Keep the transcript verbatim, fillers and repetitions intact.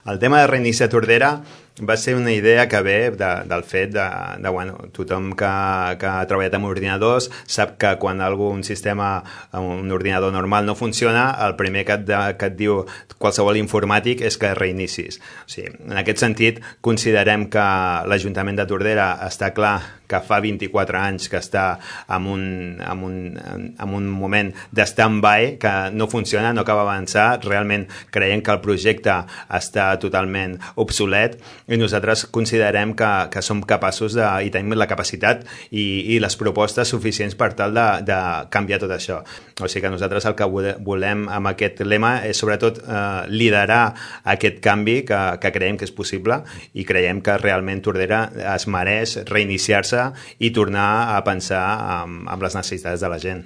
El tema de reiniciar Tordera va ser una idea que ve de, del fet de, de bueno, tothom que, que ha treballat amb ordinadors sap que quan algun sistema, un ordinador normal no funciona, el primer que et, de, que et diu qualsevol informàtic és que reinicis. O sigui, en aquest sentit, considerem que l'Ajuntament de Tordera està clar que fa vint-i-quatre anys que està en un, en un, en un moment d'stand-by, que no funciona, no acaba d'avançar, realment creiem que el projecte està totalment obsolet i nosaltres considerem que, que som capaços de, i tenim la capacitat i, i les propostes suficients per tal de, de canviar tot això. O sigui que nosaltres el que volem amb aquest lema és sobretot eh, liderar aquest canvi que, que creiem que és possible i creiem que realment Tordera es mereix reiniciar-se i tornar a pensar en, en les necessitats de la gent.